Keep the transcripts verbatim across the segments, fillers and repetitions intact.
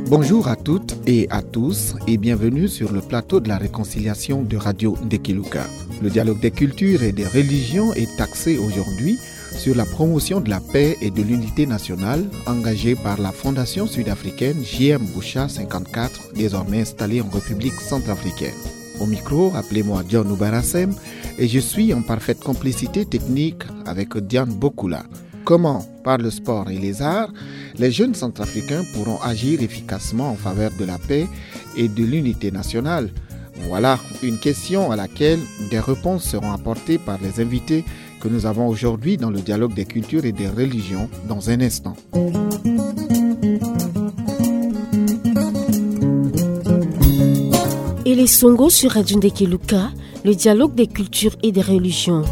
Bonjour à toutes et à tous et bienvenue sur le plateau de la réconciliation de Radio Ndekiluka. Le dialogue des cultures et des religions est axé aujourd'hui sur la promotion de la paix et de l'unité nationale engagée par la Fondation sud-africaine J M Boucha cinquante-quatre, désormais installée en République centrafricaine. Au micro, appelez-moi John Oubarassem et je suis en parfaite complicité technique avec Diane Bokula. Comment, par le sport et les arts, les jeunes centrafricains pourront agir efficacement en faveur de la paix et de l'unité nationale ? Voilà une question à laquelle des réponses seront apportées par les invités que nous avons aujourd'hui dans le dialogue des cultures et des religions dans un instant. Ele Songo sur Radio Ndekiluka, le dialogue des cultures et des religions.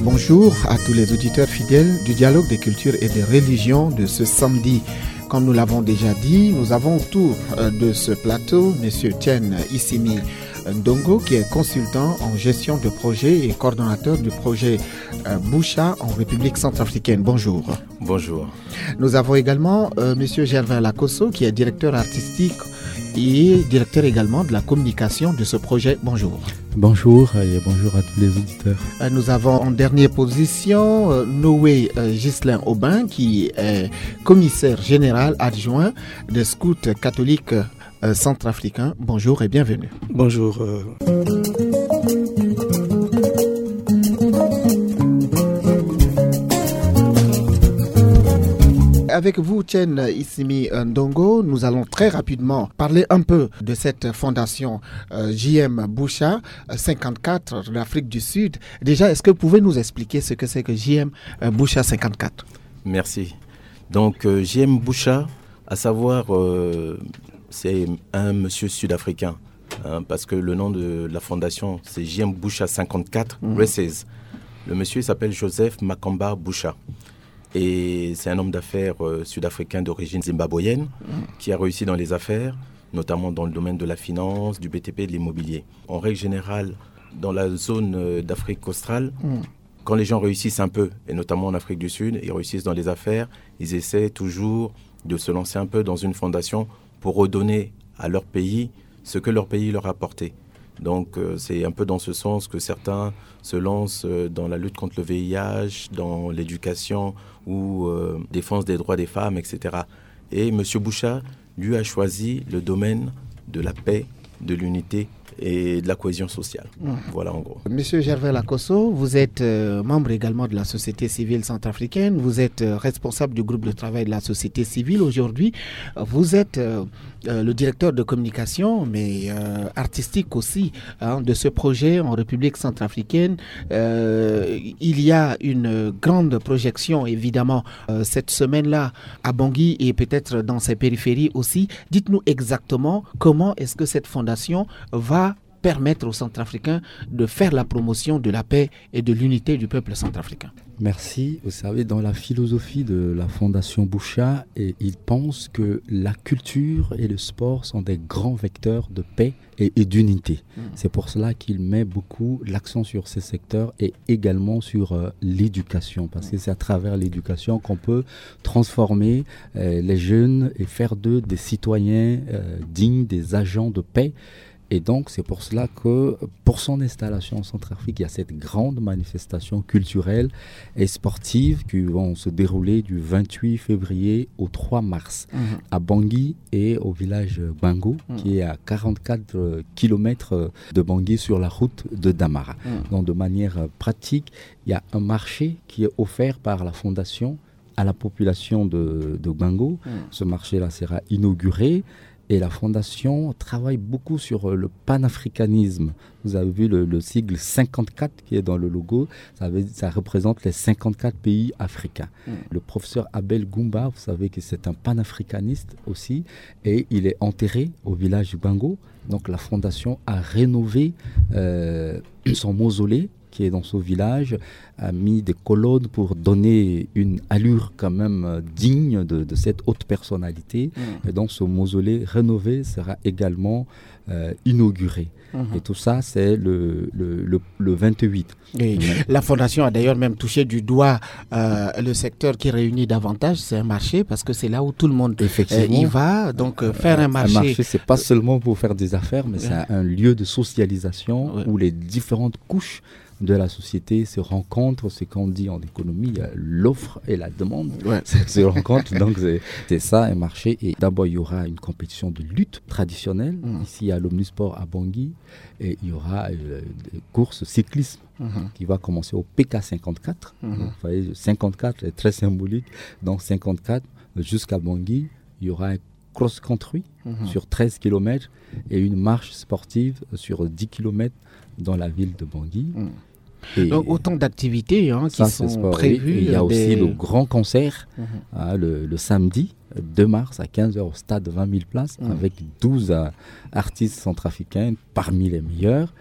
Bonjour à tous les auditeurs fidèles du dialogue des cultures et des religions de ce samedi. Comme nous l'avons déjà dit, nous avons autour euh, de ce plateau Monsieur Chen Isimi Ndongo, qui est consultant en gestion de projet et coordonnateur du projet euh, Boucha en République centrafricaine. Bonjour. Bonjour. Nous avons également euh, Monsieur Gervais Lakosso, qui est directeur artistique et directeur également de la communication de ce projet. Bonjour. Bonjour et bonjour à tous les auditeurs. Euh, nous avons en dernière position euh, Noé euh, Ghislain Aubin, qui est commissaire général adjoint des scouts catholiques euh, centrafricains. Bonjour et bienvenue. Bonjour. euh. Avec vous, Chen Isimi Ndongo, nous allons très rapidement parler un peu de cette fondation euh, J M Boucha euh, cinquante-quatre de l'Afrique du Sud. Déjà, est-ce que vous pouvez nous expliquer ce que c'est que J M euh, Boucha cinquante-quatre ? Merci. Donc, euh, J M Boucha, à savoir, euh, c'est un monsieur sud-africain, hein, parce que le nom de la fondation, c'est J M Boucha cinquante-quatre, Reces. Le monsieur, il s'appelle Joseph Makamba Boucha. Et c'est un homme d'affaires euh, sud-africain d'origine zimbabwéenne qui a réussi dans les affaires, notamment dans le domaine de la finance, du B T P et de l'immobilier. En règle générale, dans la zone euh, d'Afrique australe, quand les gens réussissent un peu, et notamment en Afrique du Sud, ils réussissent dans les affaires, ils essaient toujours de se lancer un peu dans une fondation pour redonner à leur pays ce que leur pays leur a apporté. Donc euh, c'est un peu dans ce sens que certains se lancent euh, dans la lutte contre le V I H, dans l'éducation ou euh, défense des droits des femmes, et cetera. Et M. Boucha, lui, a choisi le domaine de la paix, de l'unité et de la cohésion sociale. Voilà en gros. Monsieur Gervais Lakosso, vous êtes euh, membre également de la société civile centrafricaine, vous êtes euh, responsable du groupe de travail de la société civile aujourd'hui, vous êtes euh, euh, le directeur de communication, mais euh, artistique aussi, hein, de ce projet en République centrafricaine. Euh, il y a une grande projection, évidemment, euh, cette semaine-là à Bangui et peut-être dans ses périphéries aussi. Dites-nous exactement comment est-ce que cette fondation va permettre aux Centrafricains de faire la promotion de la paix et de l'unité du peuple centrafricain. Merci. Vous savez, dans la philosophie de la Fondation Boucha, et il pense que la culture et le sport sont des grands vecteurs de paix et, et d'unité. C'est pour cela qu'il met beaucoup l'accent sur ces secteurs et également sur euh, l'éducation, parce que c'est à travers l'éducation qu'on peut transformer euh, les jeunes et faire d'eux des citoyens euh, dignes, des agents de paix. Et donc, c'est pour cela que pour son installation en Centrafrique, il y a cette grande manifestation culturelle et sportives qui vont se dérouler du vingt-huit février au trois mars à Bangui et au village Bango, qui est à quarante-quatre kilomètres de Bangui sur la route de Damara. Donc de manière pratique, il y a un marché qui est offert par la fondation à la population de, de Bango. Ce marché-là sera inauguré. Et la fondation travaille beaucoup sur euh, le panafricanisme. Vous avez vu le, le sigle cinquante-quatre qui est dans le logo. Ça, veut- ça représente les cinquante-quatre pays africains. Le professeur Abel Goumba, vous savez que c'est un panafricaniste aussi. Et il est enterré au village du Bango. Donc la fondation a rénové euh, son mausolée qui est dans ce village, a mis des colonnes pour donner une allure quand même, euh, digne de, de cette haute personnalité. Et donc ce mausolée rénové sera également, euh, inauguré. Et tout ça, c'est le, le, le, le vingt-huit. Et la fondation a d'ailleurs même touché du doigt, euh, le secteur qui réunit davantage, c'est un marché, parce que c'est là où tout le monde, euh, y va. Donc, euh, faire un marché, c'est pas seulement pour faire des affaires, mais c'est un lieu de socialisation où les différentes couches de la société se rencontrent, ce qu'on dit en économie, euh, l'offre et la demande se rencontrent. Donc c'est ça, un marché. Et d'abord, il y aura une compétition de lutte traditionnelle ici à l'Omnisport à Bangui. Et il y aura, euh, des courses cyclisme qui va commencer au P K cinquante-quatre. Donc, vous voyez, cinquante-quatre est très symbolique. Donc cinquante-quatre jusqu'à Bangui, il y aura un cross-country sur treize kilomètres et une marche sportive sur dix kilomètres dans la ville de Bangui. Donc autant d'activités, hein, qui sont prévues. Et il y a aussi le grand concert, hein, le, le samedi deux mars à quinze heures au stade vingt mille places, avec douze, euh, artistes centrafricains parmi les meilleurs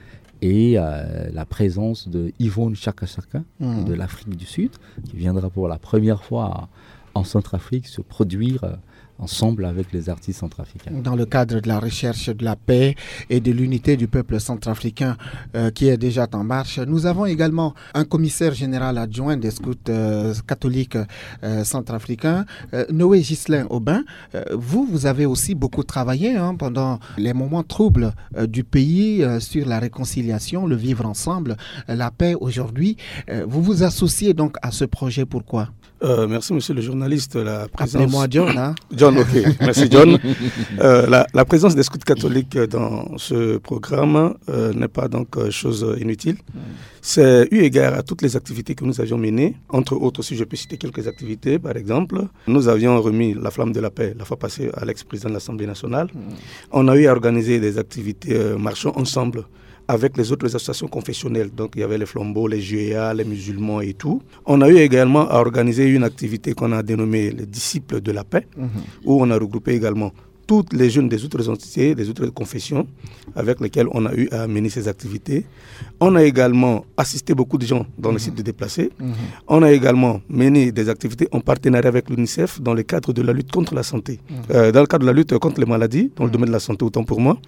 et, euh, la présence de Yvonne Chaka Chaka de l'Afrique du Sud, qui viendra pour la première fois en Centrafrique se produire, euh, ensemble avec les artistes centrafricains. Dans le cadre de la recherche de la paix et de l'unité du peuple centrafricain, euh, qui est déjà en marche, nous avons également un commissaire général adjoint des scouts, euh, catholiques, euh, centrafricains, euh, Noé Ghislain Aubin. Euh, vous, vous avez aussi beaucoup travaillé, hein, pendant les moments troubles, euh, du pays, euh, sur la réconciliation, le vivre ensemble, euh, la paix aujourd'hui. Euh, vous vous associez donc à ce projet. Pourquoi ? Euh, merci, monsieur le journaliste. La présence... Appelez-moi John, hein ? John, ok. Merci, John. Euh, la, la présence des scouts catholiques dans ce programme, euh, n'est pas donc, euh, chose inutile. C'est eu égard à toutes les activités que nous avions menées. Entre autres, si je peux citer quelques activités, par exemple, nous avions remis la flamme de la paix la fois passée à l'ex-président de l'Assemblée nationale. On a eu à organiser des activités, euh, marchant ensemble avec les autres associations confessionnelles. Donc, il y avait les flambeaux, les J E A, les musulmans et tout. On a eu également à organiser une activité qu'on a dénommée les Disciples de la Paix, où on a regroupé également toutes les jeunes des autres entités, des autres confessions avec lesquelles on a eu à mener ces activités. On a également assisté beaucoup de gens dans les sites de déplacés. On a également mené des activités en partenariat avec l'UNICEF dans le cadre de la lutte contre la santé. Euh, dans le cadre de la lutte contre les maladies, dans le domaine de la santé, autant pour moi.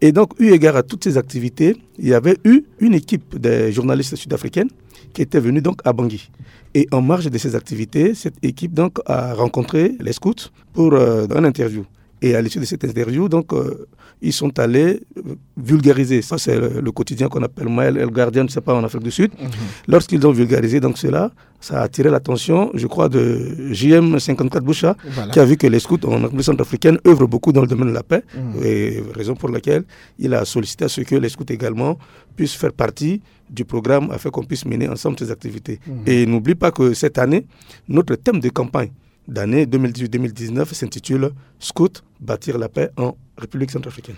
Et donc, eu égard à toutes ces activités, il y avait eu une équipe de journalistes sud-africaines qui était venue donc à Bangui. Et en marge de ces activités, cette équipe donc a rencontré les scouts pour, euh, une interview. Et à l'issue de cette interview, donc, euh, ils sont allés, euh, vulgariser. Ça, c'est le, le quotidien qu'on appelle Maël El Gardien, je ne sais pas, en Afrique du Sud. Lorsqu'ils ont vulgarisé donc cela, ça a attiré l'attention, je crois, de J M cinquante-quatre Boucha, qui a vu que les scouts en République centrafricaine œuvrent beaucoup dans le domaine de la paix. Et raison pour laquelle il a sollicité à ce que les scouts également puissent faire partie du programme afin qu'on puisse mener ensemble ces activités. Et n'oublie pas que cette année, notre thème de campagne d'année deux mille dix-huit deux mille dix-neuf s'intitule Scout, bâtir la paix en République centrafricaine.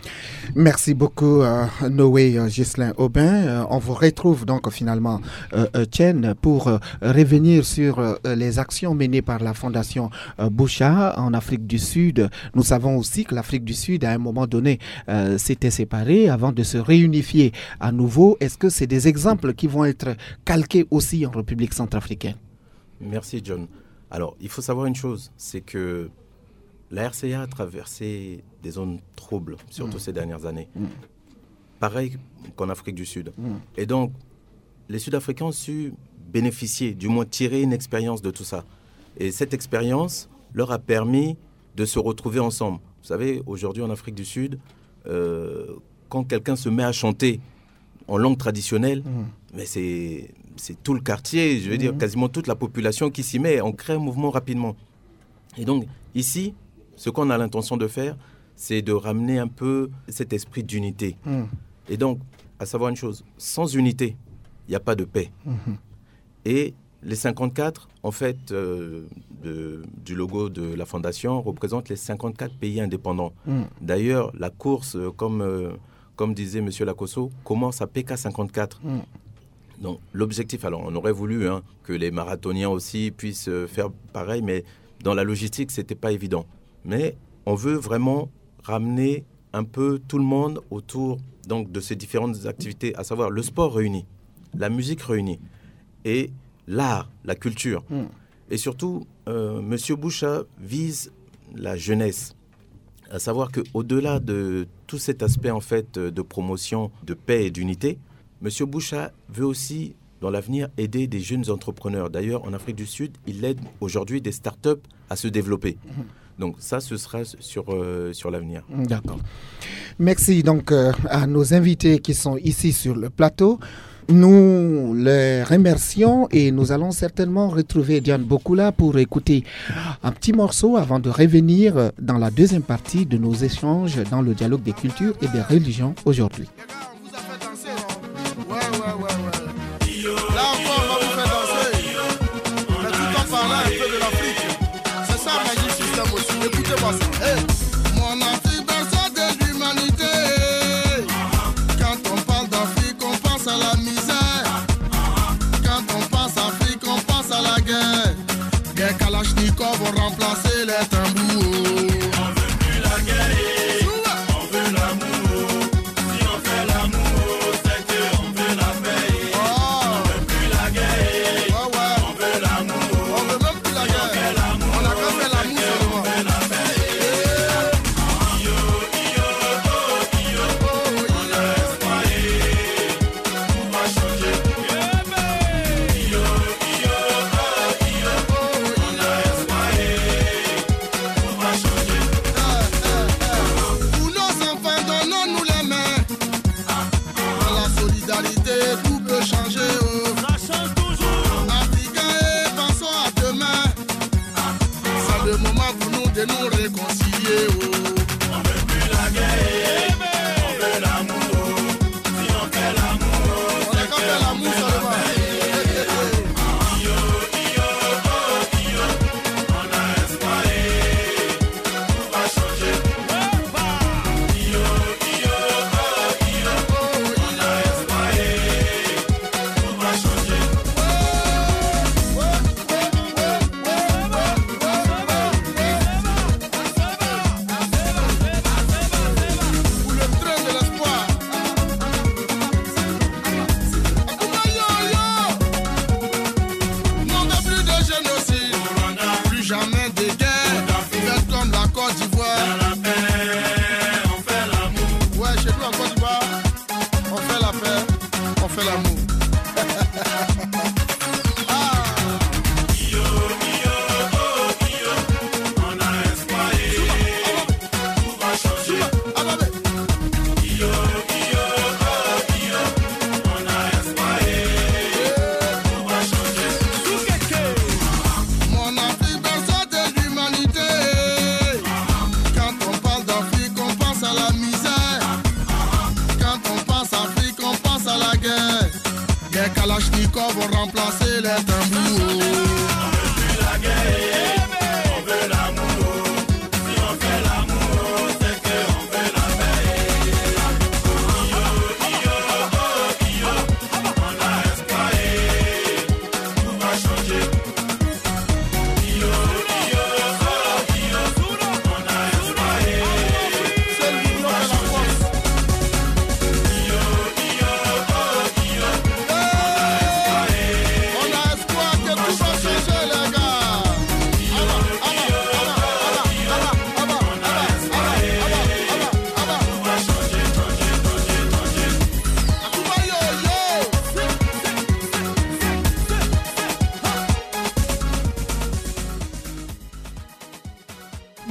Merci beaucoup, euh, Noé, euh, Ghislain Aubin. Euh, on vous retrouve donc finalement, euh, euh, Chen, pour, euh, revenir sur, euh, les actions menées par la Fondation, euh, Boucha en Afrique du Sud. Nous savons aussi que l'Afrique du Sud, à un moment donné, euh, s'était séparée avant de se réunifier à nouveau. Est-ce que c'est des exemples qui vont être calqués aussi en République centrafricaine ? Merci, John. Alors, il faut savoir une chose, c'est que la R C A a traversé des zones troubles, surtout ces dernières années. Pareil qu'en Afrique du Sud. Et donc, les Sud-Africains ont su bénéficier, du moins tirer une expérience de tout ça. Et cette expérience leur a permis de se retrouver ensemble. Vous savez, aujourd'hui en Afrique du Sud, euh, quand quelqu'un se met à chanter en langue traditionnelle, mais c'est, c'est tout le quartier, je veux dire, quasiment toute la population qui s'y met. On crée un mouvement rapidement. Et donc, ici, ce qu'on a l'intention de faire, c'est de ramener un peu cet esprit d'unité. Et donc, à savoir une chose, sans unité, il n'y a pas de paix. Et les cinquante-quatre, en fait, euh, de, du logo de la fondation, représentent les cinquante-quatre pays indépendants. D'ailleurs, la course, euh, comme, euh, comme disait monsieur Lakosso, commence à P K cinquante-quatre. Donc, l'objectif, alors, on aurait voulu, hein, que les marathoniens aussi puissent, euh, faire pareil, mais dans la logistique, c'était pas évident. Mais on veut vraiment ramener un peu tout le monde autour, donc, de ces différentes activités, à savoir le sport réuni. la musique réunie et l'art, la culture. Et surtout, euh, Monsieur Boucha vise la jeunesse. À savoir qu'au-delà de tout cet aspect, en fait, de promotion de paix et d'unité, Monsieur Boucha veut aussi, dans l'avenir, aider des jeunes entrepreneurs. D'ailleurs, en Afrique du Sud, il aide aujourd'hui des startups à se développer. Donc ça, ce sera sur, euh, sur l'avenir. D'accord. Merci donc, euh, à nos invités qui sont ici sur le plateau. Nous les remercions et nous allons certainement retrouver Diane Bokula pour écouter un petit morceau avant de revenir, euh, dans la deuxième partie de nos échanges dans le dialogue des cultures et des religions aujourd'hui. Là encore, on va vous faire danser. Mais tout en parlant un peu de l'Afrique. C'est ça, Magic System aussi. Écoutez-moi ça. Hey. Mon Afrique, berceau de l'humanité. Quand on parle d'Afrique, on pense à la misère. Quand on pense Afrique, on pense à la guerre. Des Kalachnikov ont remplacé les tambours. On veut plus la guerre, on veut l'amour. Si on fait l'amour, c'est que on veut la paix. On veut plus la guerre, on veut l'amour. On veut même plus la guerre. On a qu'à faire l'amour seulement. Pour nos enfants, donnons-nous les mains. Dans la solidarité, tout peut changer. Oh. Africains, et pensons à demain. C'est le moment pour nous de nous réconcilier. Oh. On veut plus la guerre, on veut l'amour. Si on fait l'amour, on a qu'à faire l'amour seulement. Non, plus de génocide, plus jamais de guerre. Faites comme la Côte d'Ivoire. Ouais, chez nous en Côte d'Ivoire, on fait la paix, on fait l'amour. Mon Afrique, berceau de l'humanité. Quand on parle d'Afrique, on pense à la misère. Quand on pense Afrique, on pense à la guerre. Les Kalachnikov ont remplacé les tambours.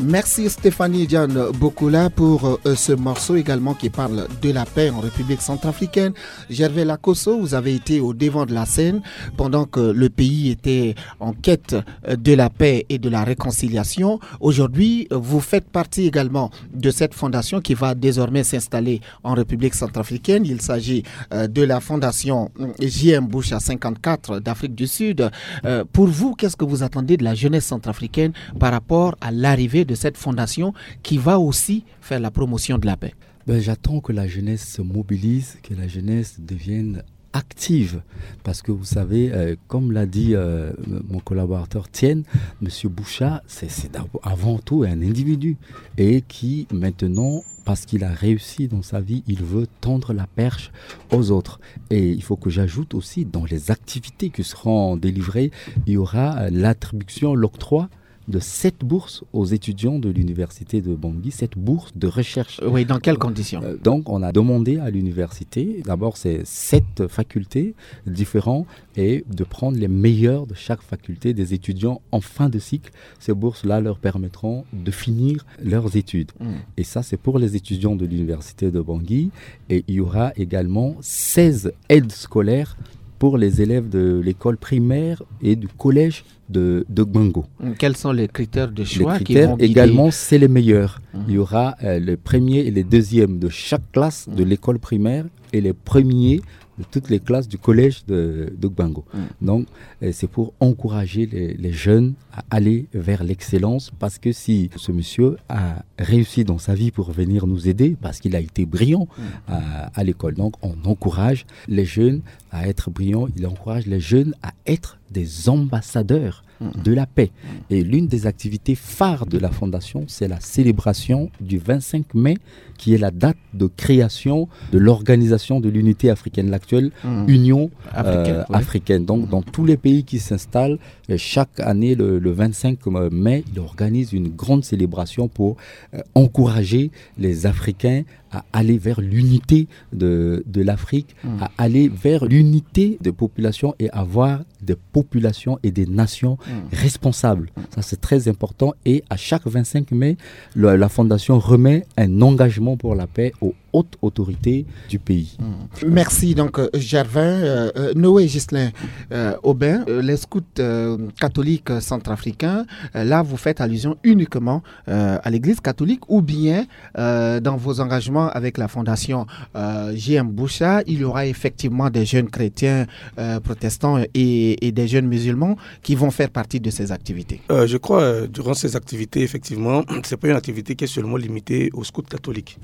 Merci Stéphanie Diane Bokula pour, euh, ce morceau également qui parle de la paix en République centrafricaine. Gervais Lakosso, vous avez été au devant de la scène pendant que le pays était en quête, euh, de la paix et de la réconciliation. Aujourd'hui, euh, vous faites partie également de cette fondation qui va désormais s'installer en République centrafricaine. Il s'agit, euh, de la fondation, euh, J M Boucha cinquante-quatre d'Afrique du Sud. Euh, pour vous, qu'est-ce que vous attendez de la jeunesse centrafricaine par rapport à l'arrivée de cette fondation qui va aussi faire la promotion de la paix ? Ben, j'attends que la jeunesse se mobilise, que la jeunesse devienne active. Parce que vous savez, euh, comme l'a dit, euh, mon collaborateur Tienne, Monsieur Boucha, c'est, c'est d'ab-, avant tout un individu et qui maintenant parce qu'il a réussi dans sa vie, il veut tendre la perche aux autres. Et il faut que j'ajoute aussi, dans les activités qui seront délivrées, il y aura euh, l'attribution, l'octroi de sept bourses aux étudiants de l'université de Bangui, sept bourses de recherche. Oui, dans quelles conditions ? Euh, donc, on a demandé à l'université, d'abord, c'est sept facultés différentes, et de prendre les meilleurs de chaque faculté, des étudiants en fin de cycle. Ces bourses-là leur permettront de finir leurs études. Et ça, c'est pour les étudiants de l'université de Bangui. Et il y aura également seize aides scolaires pour les élèves de l'école primaire et du collège de, de Gbango. Quels sont les critères de choix Les critères qui vont guider également, c'est les meilleurs. Il y aura euh, les premiers et les deuxièmes de chaque classe de l'école primaire et les premiers de toutes les classes du collège de, de Gbango. Donc, euh, c'est pour encourager les, les jeunes à aller vers l'excellence, parce que si ce monsieur a réussi dans sa vie pour venir nous aider, parce qu'il a été brillant à, à l'école, donc on encourage les jeunes à être brillants, il encourage les jeunes à être des ambassadeurs de la paix. Et l'une des activités phares de la fondation, c'est la célébration du vingt-cinq mai, qui est la date de création de l'Organisation de l'Unité africaine, l'actuelle Union euh, Africaine, oui. africaine. Donc, dans tous les pays qui s'installent, euh, chaque année, le, le vingt-cinq mai, il organise une grande célébration pour euh, encourager les Africains à aller vers l'unité de, de l'Afrique, à aller vers l'unité des populations et avoir des populations et des nations responsables. Ça, c'est très important. Et à chaque vingt-cinq mai, le- la Fondation remet un engagement pour la paix aux hautes autorités du pays. Merci donc euh, Gervin, euh, euh, Noé Ghislain euh, Aubin, euh, les scouts euh, catholiques euh, centrafricains. Euh, là, vous faites allusion uniquement euh, à l'Église catholique, ou bien euh, dans vos engagements avec la fondation euh, J M Boucha, il y aura effectivement des jeunes chrétiens euh, protestants et, et des jeunes musulmans qui vont faire partie de ces activités. Euh, je crois, euh, durant ces activités, effectivement, c'est pas une activité qui est seulement limitée aux scouts catholiques.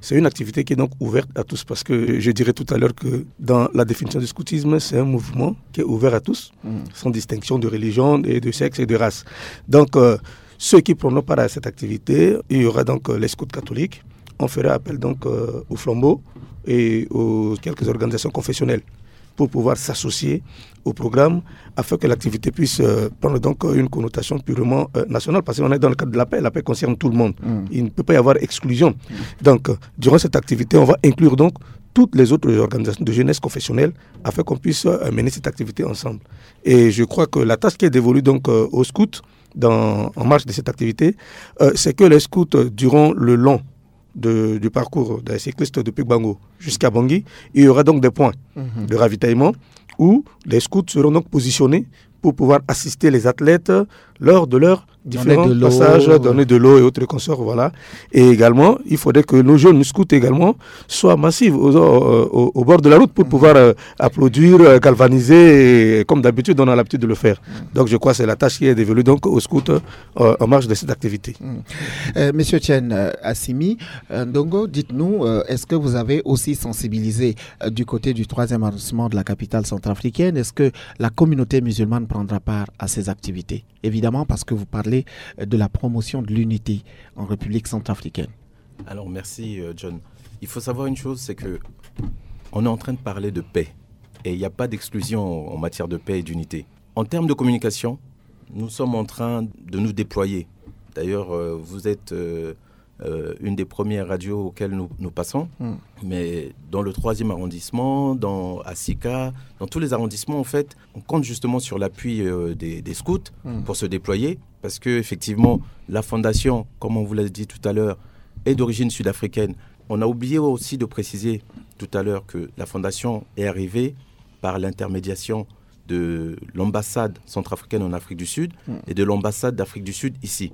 C'est une activité qui est donc ouverte à tous, parce que je dirais tout à l'heure que dans la définition du scoutisme, c'est un mouvement qui est ouvert à tous, sans distinction de religion, et de sexe et de race. Donc, euh, ceux qui prendront part à cette activité, il y aura donc euh, les scouts catholiques. On fera appel donc euh, au flambeau et aux quelques organisations confessionnelles pour pouvoir s'associer au programme, afin que l'activité puisse euh, prendre donc euh, une connotation purement euh, nationale, parce qu'on est dans le cadre de la paix. La paix concerne tout le monde. Il ne peut pas y avoir exclusion. Donc, euh, durant cette activité, on va inclure donc toutes les autres organisations de jeunesse confessionnelle, afin qu'on puisse euh, mener cette activité ensemble. Et je crois que la tâche qui est dévolue donc euh, aux scouts dans, en marge de cette activité, euh, c'est que les scouts, euh, durant le long de- du parcours des cyclistes depuis Gbango jusqu'à Bangui, il y aura donc des points de ravitaillement où les scouts seront donc positionnés pour pouvoir assister les athlètes lors de leurs différents de l'eau, passages, ouais. Donner de l'eau et autres consorts, voilà. Et également, il faudrait que nos jeunes scouts également soient massifs au, au- au- au bord de la route pour pouvoir euh, applaudir, euh, galvaniser, et comme d'habitude, on a l'habitude de le faire. Donc, je crois que c'est la tâche qui est dévolue donc aux scouts euh, en marge de cette activité. Euh, Monsieur Chen euh, Assimi, euh, Ndongo, dites-nous, euh, est-ce que vous avez aussi sensibilisé euh, du côté du troisième arrondissement de la capitale centrafricaine ? Est-ce que la communauté musulmane prendra part à ces activités ? Évidemment, parce que vous parlez euh, de la promotion de l'unité en République centrafricaine. Alors merci euh, John. Il faut savoir une chose, c'est que on est en train de parler de paix. Et il n'y a pas d'exclusion en matière de paix et d'unité. En termes de communication, nous sommes en train de nous déployer. D'ailleurs, euh, vous êtes euh, euh, une des premières radios auxquelles nous, nous passons. Mais dans le troisième arrondissement, dans Asika, dans tous les arrondissements, en fait, on compte justement sur l'appui euh, des, des scouts pour se déployer. Parce que, effectivement, la fondation, comme on vous l'a dit tout à l'heure, est d'origine sud-africaine. On a oublié aussi de préciser tout à l'heure que la fondation est arrivée par l'intermédiation de l'ambassade centrafricaine en Afrique du Sud et de l'ambassade d'Afrique du Sud ici.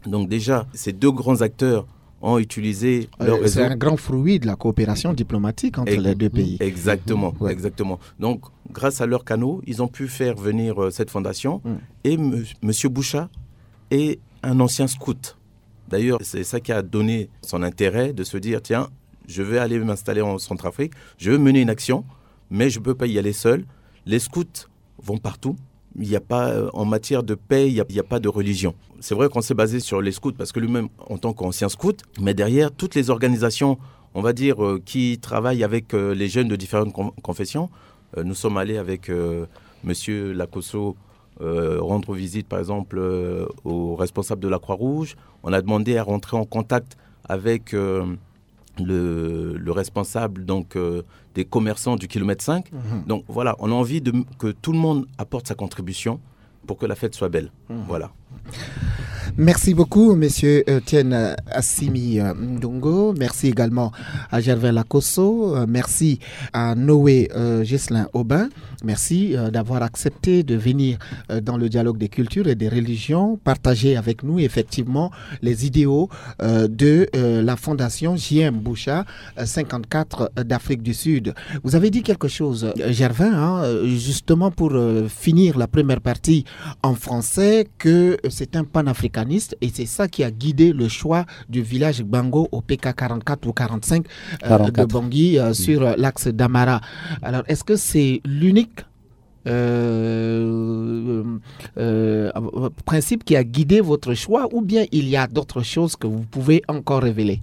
Donc déjà, ces deux grands acteurs ont utilisé leur Euh, c'est réseau. Un grand fruit de la coopération diplomatique entre Ex- les deux pays. Exactement, Ouais. Exactement. Donc, grâce à leurs canaux, ils ont pu faire venir euh, cette fondation. Et M- Monsieur Boucha est un ancien scout. D'ailleurs, c'est ça qui a donné son intérêt de se dire, tiens, je vais aller m'installer en Centrafrique, je vais mener une action, mais je ne peux pas y aller seul. Les scouts vont partout. Il n'y a pas, euh, en matière de paix, il n'y a, il y a pas de religion. C'est vrai qu'on s'est basé sur les scouts parce que lui-même, en tant qu'ancien scout, mais derrière, toutes les organisations, on va dire, euh, qui travaillent avec, euh, les jeunes de différentes con- confessions, euh, nous sommes allés avec, euh, monsieur Lakosso, euh, rendre visite, par exemple, euh, aux responsables de la Croix-Rouge. On a demandé à rentrer en contact avec, euh, le, le responsable, donc, euh, des commerçants du kilomètre cinq. Donc voilà, on a envie de, que tout le monde apporte sa contribution pour que la fête soit belle. Voilà. Merci beaucoup, monsieur Etienne Assimi, euh, Ndongo. Merci également à Gervais Lakosso. Euh, merci à Noé, euh, Ghislain Aubin. Merci, euh, d'avoir accepté de venir, euh, dans le dialogue des cultures et des religions, partager avec nous effectivement les idéaux, euh, de, euh, la fondation J M Boucha, euh, cinquante-quatre, euh, d'Afrique du Sud. Vous avez dit quelque chose, euh, Gervais, hein, euh, justement pour, euh, finir la première partie en français, que, euh, c'est un panafricaniste et c'est ça qui a guidé le choix du village Gbango au P K quarante-quatre ou quarante-cinq, euh, de Bangui, euh, sur, euh, l'axe d'Amara. Alors, est-ce que c'est l'unique, euh, euh, principe qui a guidé votre choix, ou bien il y a d'autres choses que vous pouvez encore révéler ?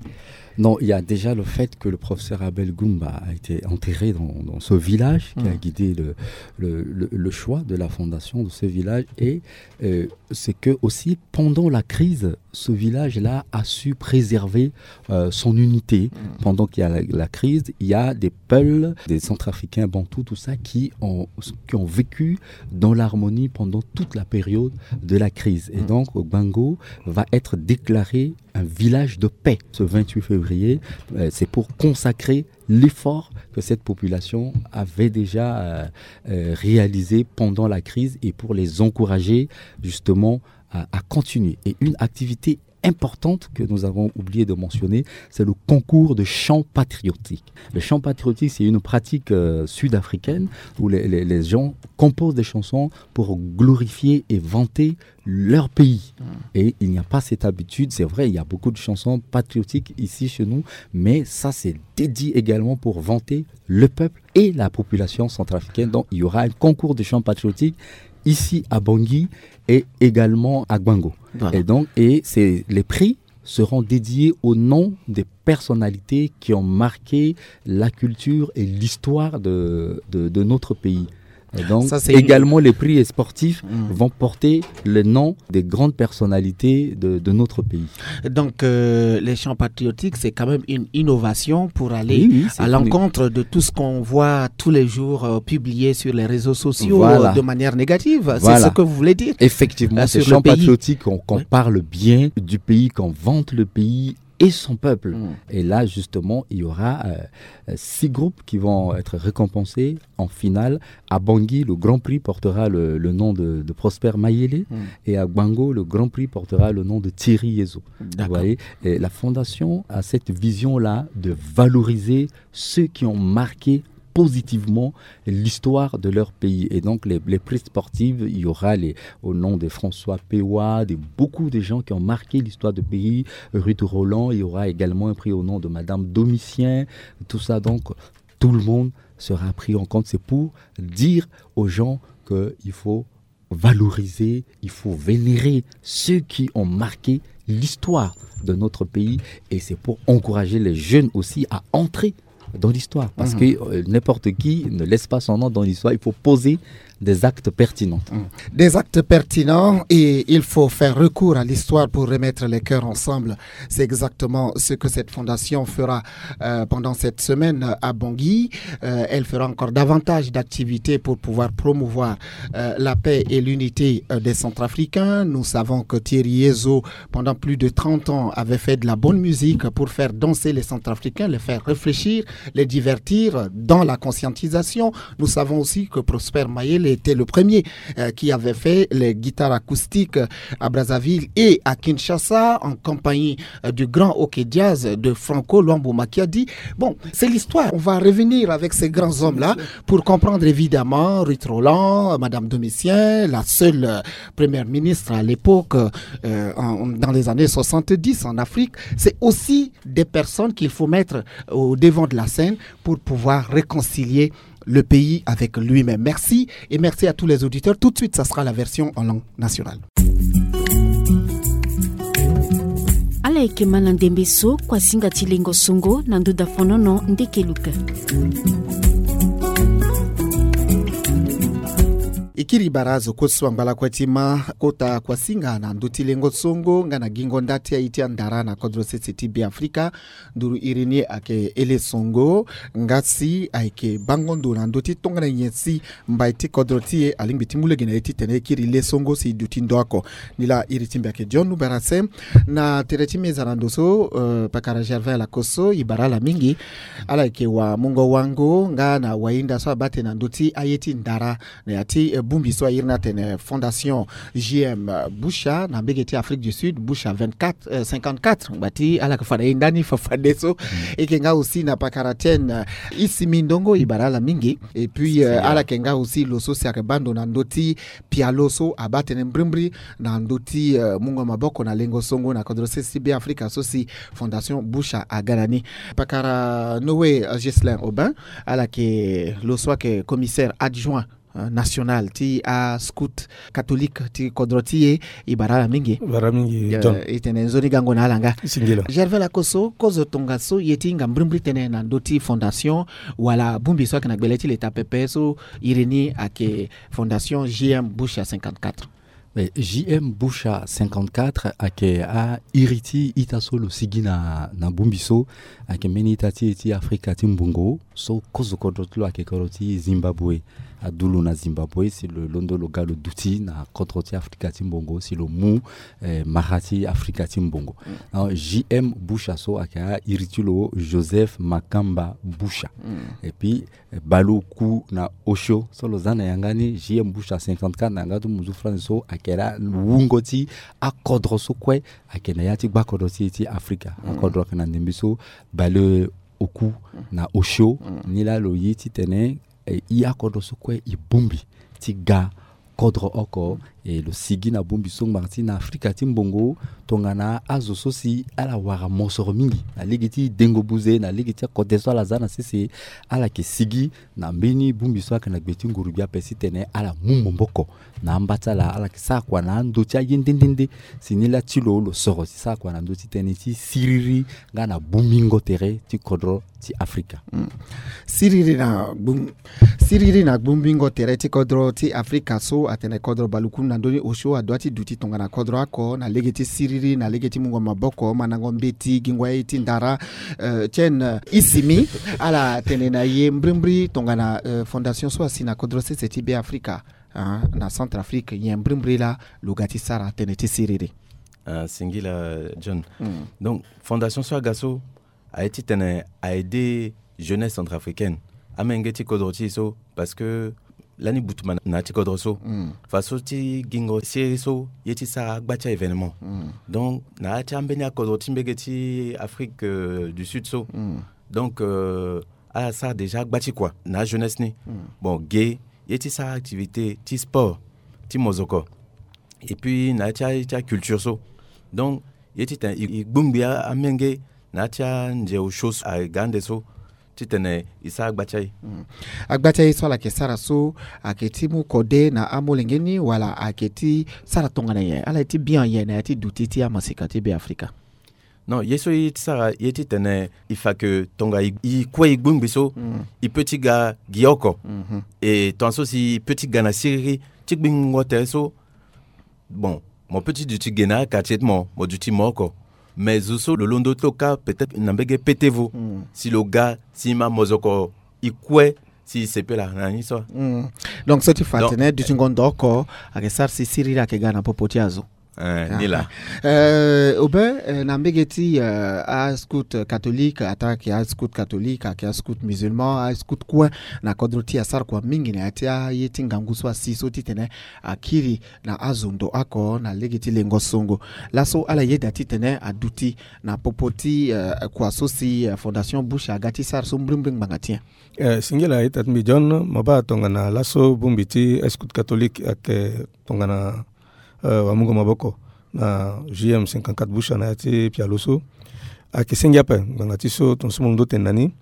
Non, il y a déjà le fait que le professeur Abel Goumba a été enterré dans, dans ce village qui a guidé le, le, le- le choix de la fondation de ce village. Et, euh, c'est que aussi, pendant la crise, ce village-là a su préserver, euh, son unité. Pendant qu'il y a la, la crise, il y a des peuples, des Centrafricains, Bantous, tout ça, qui ont, qui ont vécu dans l'harmonie pendant toute la période de la crise. Et donc, Gbango va être déclaré un village de paix ce vingt-huit février. Euh, c'est pour consacrer l'effort que cette population avait déjà, euh, euh, réalisé pendant la crise et pour les encourager justement à, à continuer. Et une activité importante que nous avons oublié de mentionner, c'est le concours de chants patriotiques. Le chant patriotique, c'est une pratique, euh, sud-africaine où les, les- les gens composent des chansons pour glorifier et vanter leur pays. Et il n'y a pas cette habitude, c'est vrai, il y a beaucoup de chansons patriotiques ici chez nous, mais ça, c'est dédié également pour vanter le peuple et la population centrafricaine. Donc, il y aura un concours de chants patriotiques ici à Bangui et également à Gbango. Et donc, et c'est, les prix seront dédiés au nom des personnalités qui ont marqué la culture et l'histoire de, de, de notre pays. Et donc, également, les prix sportifs vont porter le nom des grandes personnalités de, de notre pays. Donc, euh, les chants patriotiques, c'est quand même une innovation pour aller à l'encontre de tout ce qu'on voit tous les jours, euh, publié sur les réseaux sociaux, euh, de manière négative. C'est ce que vous voulez dire ? Effectivement, ces chants patriotiques, qu'on parle bien du pays, qu'on vante le pays et son peuple. Et là, justement, il y aura, euh, euh, six groupes qui vont être récompensés en finale. À Bangui, le Grand Prix portera le, le nom de, de Prosper Mayele, et à Gbango, le Grand Prix portera le nom de Thierry Yezo. Vous voyez ? Et la fondation a cette vision-là de valoriser ceux qui ont marqué positivement l'histoire de leur pays. Et donc, les, les prix sportifs, il y aura les, au nom de François Pewa, de beaucoup de gens qui ont marqué l'histoire du pays. Ruth Roland, il y aura également un prix au nom de Madame Domitien, tout ça. Donc, tout le monde sera pris en compte. C'est pour dire aux gens qu'il faut valoriser, il faut vénérer ceux qui ont marqué l'histoire de notre pays. Et c'est pour encourager les jeunes aussi à entrer dans l'histoire. Parce que, euh, n'importe qui ne laisse pas son nom dans l'histoire. Il faut poser des actes pertinents. Des actes pertinents, et il faut faire recours à l'histoire pour remettre les cœurs ensemble. C'est exactement ce que cette fondation fera, euh, pendant cette semaine à Bangui. Euh, elle fera encore davantage d'activités pour pouvoir promouvoir, euh, la paix et l'unité, euh, des Centrafricains. Nous savons que Thierry Yezo, pendant plus de trente ans, avait fait de la bonne musique pour faire danser les Centrafricains, les faire réfléchir, les divertir dans la conscientisation. Nous savons aussi que Prosper Mayele était le premier, euh, qui avait fait les guitares acoustiques, euh, à Brazzaville et à Kinshasa, en compagnie, euh, du grand OK Jazz de Franco Luambo Makiadi. Bon, c'est l'histoire. On va revenir avec ces grands hommes-là pour comprendre évidemment Ruth Roland, Madame Domitien, la seule, euh, première ministre à l'époque, euh, en- dans les années soixante-dix en Afrique. C'est aussi des personnes qu'il faut mettre au devant de la scène pour pouvoir réconcilier Le pays avec lui-même. Merci et merci à tous les auditeurs. Tout de suite, ça sera la version en langue nationale. Ala yeke ma na ndembe so kuasinga ti lengo songo na nduda fonono ndeke luka. E kiri bara azo kue so angba lakue ti ma kota kuasinga na ndö ti lengo songo nga na gingo nda ti aye ti andara na kodro sese ti Be Afrika. Nduru iri ni ayeke Ele Songo, nga si ayeke bango ndo na ndö ti tongana nyen si mbai ti kodro ti e alingbi ti mu lege na e titene e kiri le songo si e duti ndo oko. Ni laa iri ti mbi ayeke John Lubarase. Na tere ti meza na ndo so, eh, pakara Gervais Lakosso, e bara ala mingi. Ala yeke wamungo wango nga na wahinda so abaa tene na ndö ti aye ti ndara na ya ti, eh, bongbi so airi ni atene Fondation J M Busha na mbege ti Afrique du Sud, Busha vingt-quatre, euh, cinquante-quatre, ngba ti ala yeke fa na e ndani fafadeso. E yeke nga aussi na pakara ti en, euh, Isimi Ndongo, e bara ala mingi. Et puis, euh, ala yeke nga aussi lo so si ayeke baa ndo na ndö ti pialo so abaa tënë mbrimbri na ndö ti, euh, mungo maboko na lengo songo na kodro sese ti Be Afrika so si Fondation Busha aga na ni. Pakara Noé, euh, Ghislain Aubin, ala yeke lo so ayeke commissaire adjoint, euh, national ti ascout catholique ti kodro ti e. E bara ala mingi. Bara mingi, euh, John. E tene nzoni gango na ala nga. Singila. Gervais Lakosso, kozo tongaso ye ti hinga mbrimbri tënë na ndö ti fondation wala bongbi so ayeke na gbele ti leta pepe so iri ni ayeke Fondation J M Busha cinquante-quatre? Eh, J M Busha cinquante-quatre ayeke airi ti ita so lo sigi na, na bongbi so. Ayeke mbeni ita ti e ti Afrika ti mbongo so kozo kodro ti lo ayeke kodro ti Zimbabwe. Adu lo na Zimbabwe si lo londo lo ga lo duti na kodro ti Afrika ti mbongo si lo mu, eh, mara ti Afrika ti mbongo. Mm. Alors, J M Busha so ayeke airi ti lo Joseph Makamba Busha. Mm. Et puis, eh, baleoku na osio so lo za na yanga ni, J M Busha cinquante-quatre na yanga ti muzu France so ayeke laa wungo ti akodro so kue ayeke na ya ti gbakodro ti e ti Afrika. Mm. Akodro ayeke na ndembe so baleoku na osio. Mm. Ni laa lo ye titene, eh, e akodro so kue e bongbi ti ga kodro oko, e lo sigi na bongbi so ngbanga ti na Afrika ti mbongo, tongana azo so si ala wara mosoro mingi na lege ti dengo buze, na lege ti akode so ala za na sese, ala yeke sigi na mbeni bongbi so ayeke na gbe ti nguru-gbia ape titene ala mu maboko na amba ti ala, ala yeke sara kua na ando ti aye nde nde nde. Si ni laa ti lo, lo soro si sara kua na ndö ti tënë ti siriri nga na bongbingo tere ti kodro ti Afrika. Mm. Siriri na gbong-, siriri na bongbingo tere ti kodro ti Afrika so atene kodro baleoku na ndö ni osio adoit ti duti tongana kodro oko na lege ti siriri, na lege ti mungo maboko, mandango mbeti, gingo aye ti ndara. Euh, ti en, euh, Isimi, ala tene na e mbrimbri tongana, euh, fondation so asi na kodro sese ti Be Afrika, ah, na Centrafrique, nyen mbrimbri laa lo ga ti sara tënë ti siriri? Ah, singila, John. Mm. Donc, fondation so aga so, aye titene a aide jeunesse centrafricaine, amenge ti kodro ti e so, parce que lani butuma na ya ti kodro so. Mm. Faso ti gingo siriri so ye ti sara agba ti a-événement. Mm. Donc na ya ti ambeni akodro ti mbege ti Afrique, euh, du Sud so. Mm. Donc, euh, ala sara déjà agba ti kua na ajeunesse ni. Mm. Bon, ge ye ti sara activité ti sport ti mozoko. Et puis na ya ti a, ti aculture so. Donc ye titene e, e gbongbi a, amenge na ya ti anze osio so aga ande so titene e sara agba ti aye. Mm. Agba ti aye so ala yeke sara so, ayeke ti mu kode na amolenge ni wala ayeke ti sara tongana nyen? Ala ye ti bian nyen na ya ti duti ti amaseka ti Be Afrika? Non, ye so ye ti sara ye titene e fa ke tonga e, e kue e gbongbi so, mm, e peut ti ga gi oko. Mhm. E tongaso si e peut ti ga na siriri ti gbingo tere so, bon, mo peut ti duti ge na quartier ti mo, mo duti mo oko. Mais zo so lo londo ti lo kâ peut-être na mbege pete vo. Mm. Si lo ga, si e ma mozoko e kue, si e sepela na ni so. Mm. Donc so ti fa tene dutingo ndo oko ayeke sara si siriri ayeke ga na popo ti azo. Eh, ni laa. Eh, Aubin, eh, na mbege ti, eh, ascout catholique, ataa ayeke ascout catholique, ayeke ascout musulman, ascout kue na kodro ti e asara kua mingi na ya ti aye ti ngangu so asi so titene akiri na azo ndo oko na lege ti lengo songo. Laso ala yeda titene aduti na popo ti, eh, kua so si, eh, Fondation Bush aga ti sara so mbrimbri ngbanga ti nyen? Eh, singila ita ti mbi John, mo baa tongana laso bongbi ti ascout catholique ayeke tongana eh, wamungo maboko na J M cinquante-quatre Busha na ya ti pialo so. Ayeke senge ape ngbanga ti so tongaso mo londo tene na ni.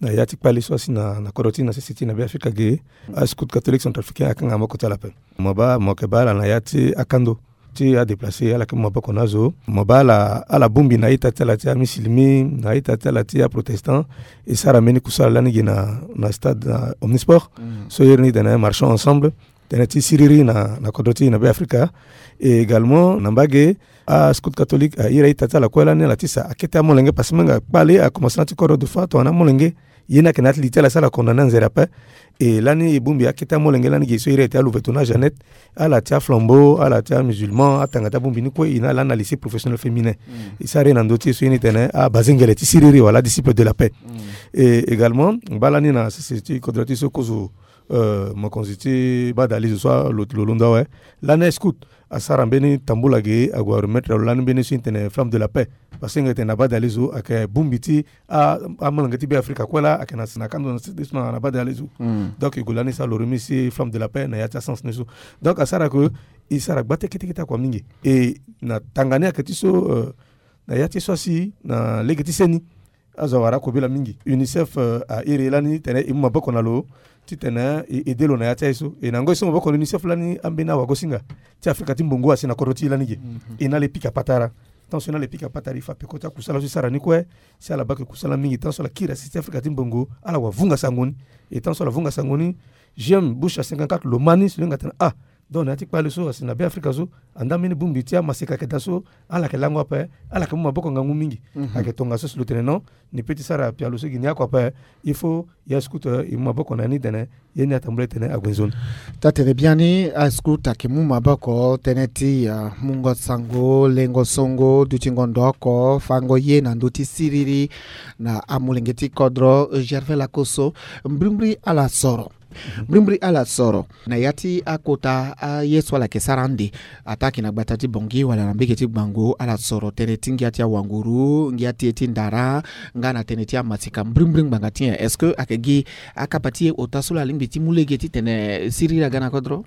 na ya ti kpale so asi na, na kodro ti na sese ti na Beafrika ge. Ascout catholique centrafricain akanga maboko ti ala ape. Mo baa mo yeke baa ala na ya ti akando ti adéplacer, ala yeke mu maboko na azo. Mo baa ala, ala bongbi na ita ti ala ti amisilimi, na ita ti ala ti aprotestant. E sara mbeni kusala lani ge na, na stade, na Omnisport. So iri ni tene marchons ensemble, tënë ti siriri na, na kodro ti na Beafrika. Et également na mbage, ascout catholique a iri a-ita ti ala kue lani ala tisa akete amolenge, parce que me nga kpale akomanse na ya ti kodro de fois tongana amolenge. Ye ni ayeke na ya ti li ti ala si ala condamné anzere ape. Et lani e bongbi akete amolenge lani ge so iri ayeke ti alouverture na Jeannette, ala ti aflambeau, ala ti amusulman, atanga ti abongbi ni kue. E na lani na lycée professionnel féminin. E sara ye na ndö ti e so ye ni tene abazengele ti siriri wala disciple de la paix. Et également baa lani na sese ti kodro ti so kozo, euh, mokonzi ti badalizo so lo, lo londo awe. Lani ascout asara mbeni tambula ge, ague aremettre lo lani mbeni so e tene flamme de la paix. Parce que nge tene na badalizo ayeke bongbi ti a, amolenge ti Beafrika kue laa ayeke na, na kando na sese ti so na, na badalizo. Donc e gue lani e sara lo remise flamme de la paix na ya ti asens ni so. Donc asara ke e sara gba ti kete kete akua mingi. Et na tanga ni ayeke ti so, euh, na ya ti so asi na lege ti seni. Azo awara akobela mingi. UNICEF, euh, a iri lani tene e mu maboko na lo titene e aidé lo na ya ti aye so. E na ngoi so maboko na UNICEF lani ambeni awagosinga ti Afrika ti mbongo asi na kodro ti e lani ge. E na ala e pika patara. Tant so e na ala e pika patara, e fa peko ti akusala so e sara ni kue. Si ala baa yeke kusala mingi tant so ala kiri asi ti Afrika ti mbongo, ala wa vunga sango ni. E tant so ala vunga sango ni, J M Bush a cinquante-quatre lo ma ni si lo hinga tene ah, donc na ya ti kpale so asi na Beafrika so, andaa mbeni bongbi ti amaseka ayeke daa so, ala yeke lango ape, ala yeke mu maboko ngangu mingi. Ayeke tongaso si lo tene non, ni peut ti sara pialo so gi ni oko ape. Il faut ya ascout, euh, e mu maboko na ni tene ye ni atambula titene ague nzoni. Taa tene biani ascout ayeke mu maboko tënë ti, euh, mungo sango, lengo songo, dutingo ndo oko, fango ye na ndö ti siriri na amolenge ti kodro. Gervais Lakosso, mbrimbri ala soro. Mbrimbri ala soro na ya ti akota aye so ala yeke sara ande, ataa ayeke na gbata ti Bangui wala na mbage ti Gbango, ala soro tënë ti ngia ti awanguru, ngia ti e ti ndara, nga na tënë ti amaseka mbrimbri ngbanga ti nyen? Est-ce que ayeke gi akapa ti e ota so lo alingbi ti mu lege titene siriri aga na kodro?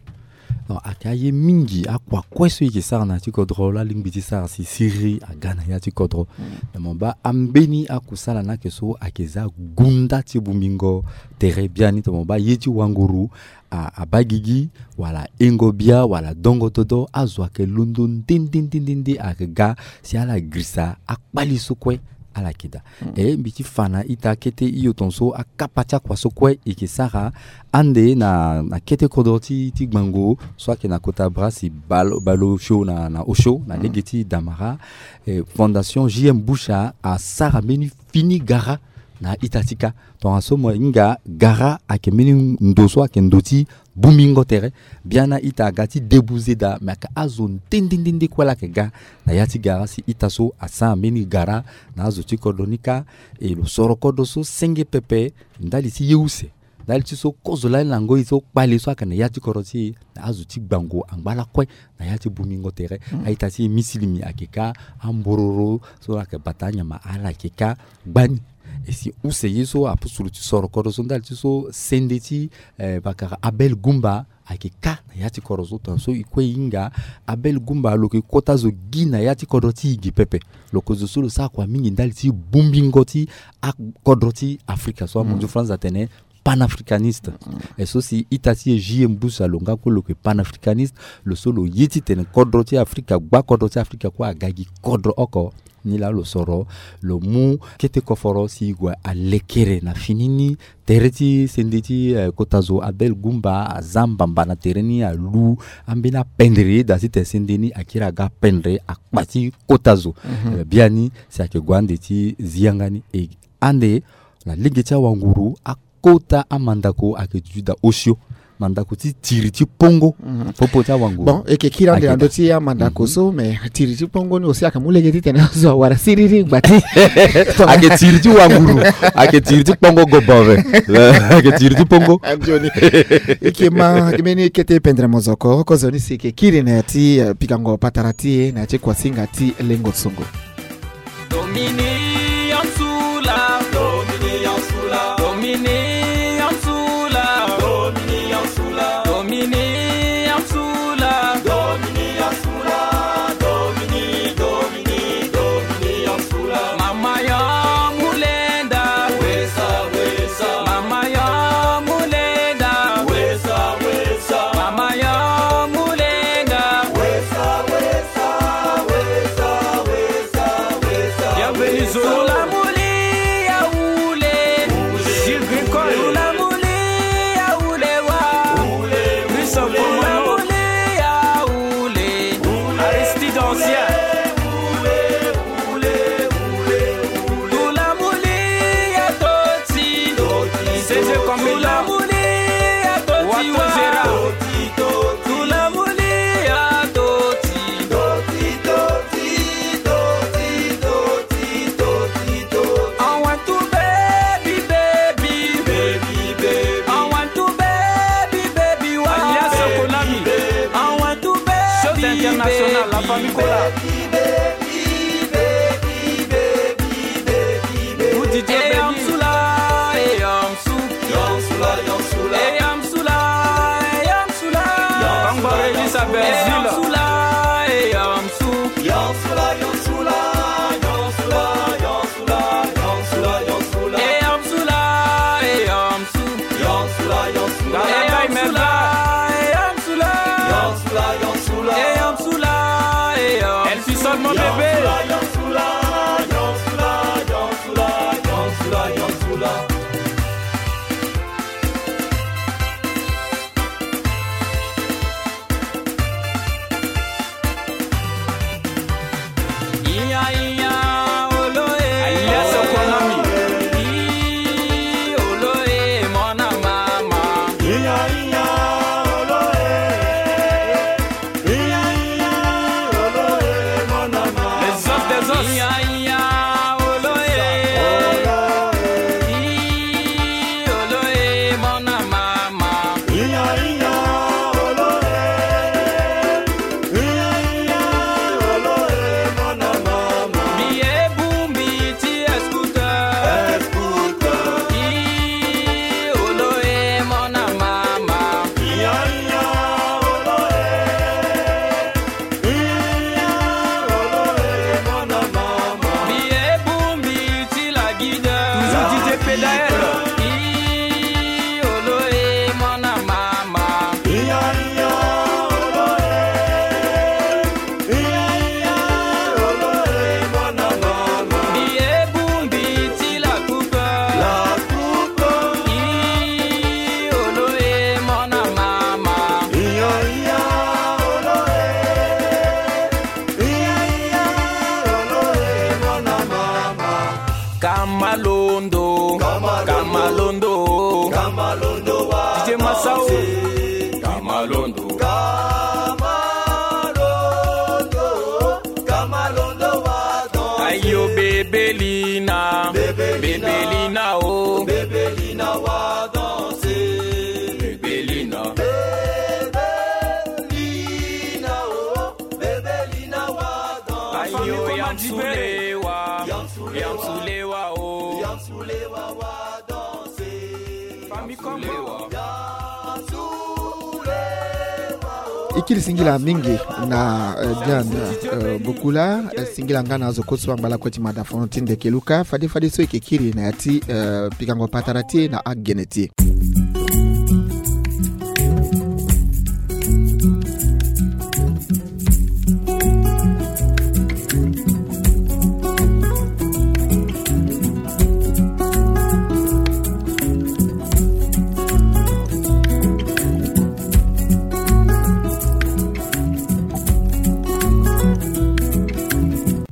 Non, ayeke aye mingi akua kue so e yeke sara na ya ti kodro laa alingbi ti sara si siriri aga na ya ti kodro. Me mo baa ambeni akusala ni ayeke so ayeke za gunda ti bongbingo tere biani. Tongana mo baa ye ti wanguru a, abaa gigi wala engo bia wala dongo dodo, azo ayeke londo nde nde nde nde nde ayeke ga si ala girisa akpali so kue ala yeke daa. E mbi ti fa na ita kete hio tongaso akapa ti akua so kue e yeke sara ande na, na kete kodro ti, ti Gbango so ayeke na kota bras ti Bal-, Baleosio na, na Osio na lege ti Damara. E, Fondation J M Bush asara mbeni fini gara na ita ti ka. Tongaso mo hinga gara ayeke mbeni ndo so ayeke ndo ti bongbingo tere. Biani a-ita aga ti debuze daa, me ayeke azo nde nde nde nde kue laa ayeke ga na ya ti gara si ita so asara mbeni gara na azo ti kodro ni kâ. E lo soro kodro so senge pepe ndali ti ye use. Ndali ti so kozo lani na ngoi so kpale so ayeke na ya ti kodro ti e, na azo ti Gbango angba lakue na ya ti bongbingo tere. A-ita ti e misilimi ayeke kâ, ambororo so ayeke bata anyama ala yeke kâ gbani. E si use ye so apostle ti soro kodro so ndali ti so sende ti, eh, bakara Abel Gumba ayeke kâ na ya ti kodro so. Tongaso e kue e hinga Abel Gumba lo yeke kota zo gi na ya ti kodro ti e gi pepe. Lo yeke zo so lo sara kua mingi ndali ti bongbingo ti akodro ti Afrika so amondio France atene panafricaniste. E so si ita ti e J M Bush lo nga kue lo yeke panafricaniste. Lo so lo ye titene kodro ti Afrika, gba kodro ti Afrika kue aga gi kodro oko. Ni laa lo soro, lo mu kete koforo si e gue alekere na fini ni. Tere ti sende ti, eh, kota zo Abel Gumba aza mbamba na tere ni, alu ambeni apendre daa titene sende ni akiri aga apendre akpa ti kota zo. Eh, biani si ayeke gue ande ti zi yanga ni. E ande na lege ti awanguru, a kota amandako ayeke duti daa osio. Mandako ti tiri ti pongo. Popo ti awanguru. Bon, e yeke kiri ande na ndö ti amandako so, mais tiri ti pongo ni aussi ayeke mu lege titene azo awara siriri ngba ti. Ayeke tiri ti wanguru. Ayeke tiri ti pongo gobo ave. Ayeke tiri ti pongo. Anzoni. E yeke ma mbeni kete pendere mozoko, kozoni si e yeke kiri na ya ti, eh, pikango patara ti e na ya ti kuasinga ti lengo songo. Domini Ansula, Domini Ansula, Domini Ansula, Domini Ansula, Domini Ansula, Domini, Domini, Domini, Domini Ansula. Mama ya mulenda, wesa, wesa. Eze Kambela. Wato Gérard. Alias Konami. Chose internationale, la famille Kola. Ou D J Benny. Kangba Régis à Brazil. Elfison, mon bébé. Alias Konami. Les os des os. Toujours D J Pedael. Kamalondo, Kamalondo, Kamalondo wa D J Masao. Kamalondo, Kamalondo, Kamalondo wa danse. Ayo Bebelina, Bebelina, Bebelina o, Bebelina wa danse. Bebelina, Bebelina o, Bebelina wa danse. Ayo Yamsulewa, Yamsulewa o, Yamsulewa wa danse. Famille Kombo. E kiri singila mingi na, eh, Diane, eh, Bokula, eh, singila nga na azo kue so angba lakue ti mada fono ti ndeke luka, fade fade so e yeke kiri na ya ti, eh, pikango patara ti e na agene ti e.